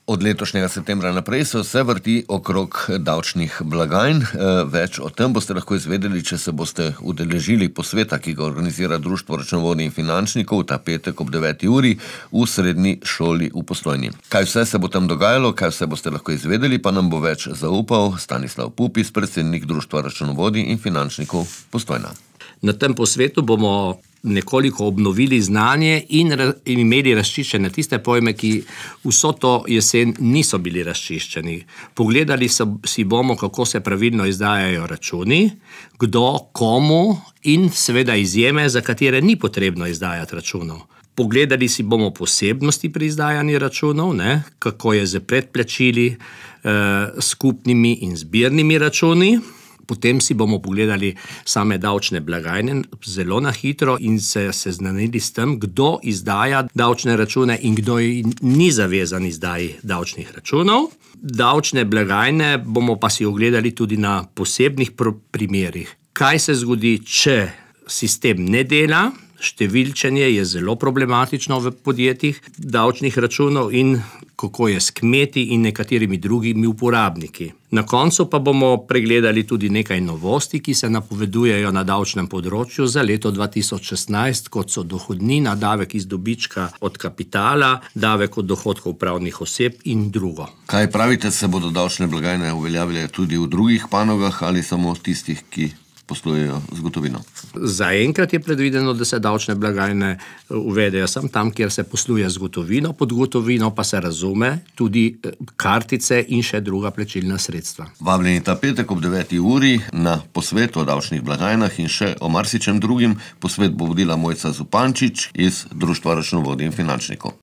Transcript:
Od letošnjega septembra naprej se vse vrti okrog davčnih blagajn. Več o tem boste lahko izvedeli, če se boste udeležili posveta, ki ga organizira Društvo računovodij in finančnikov ta petek ob 9. uri v srednji šoli v Postojni. Kaj vse se bo tam dogajalo, kaj vse boste lahko izvedeli, pa nam bo več zaupal Stanislav Pupis, predsednik Društva računovodij in finančnikov Postojna. Na tem posvetu bomo nekoliko obnovili znanje in imeli razčiščene tiste pojme, ki vso to jesen niso bili razčiščeni. Pogledali si bomo, kako se pravilno izdajajo računi, kdo, komu in seveda izjeme, za katere ni potrebno izdajati računov. Pogledali si bomo posebnosti pri izdajanju računov, kako je z predplačili, skupnimi in zbirnimi računi. Potem si bomo pogledali same davčne blagajne zelo na hitro in se seznanili s tem, kdo izdaja davčne račune in kdo ni zavezan izdaji davčnih računov. Davčne blagajne bomo pa si ogledali tudi na posebnih primerih. Kaj se zgodi, če sistem ne dela? Številčenje je zelo problematično v podjetjih davčnih računov in kako je s kmeti in nekaterimi drugimi uporabniki. Na koncu pa bomo pregledali tudi nekaj novosti, ki se napovedujejo na davčnem področju za leto 2016, kot so dohodnina, davek iz dobička od kapitala, davek od dohodkov pravnih oseb in drugo. Kaj pravite, se bodo davčne blagajne uveljavile tudi v drugih panogah ali samo tistih, ki poslujejo z gotovino? Zaenkrat je predvideno, da se davčne blagajne uvedejo samo tam, kjer se posluje z gotovino, pod gotovino pa se razume tudi kartice in še druga plačilna sredstva. Vabljeni ta petek ob 9. uri na posvet o davčnih blagajnah in še o marsičem drugim. Posvet bo vodila Mojca Zupančič iz Društva računovodij in finančnikov.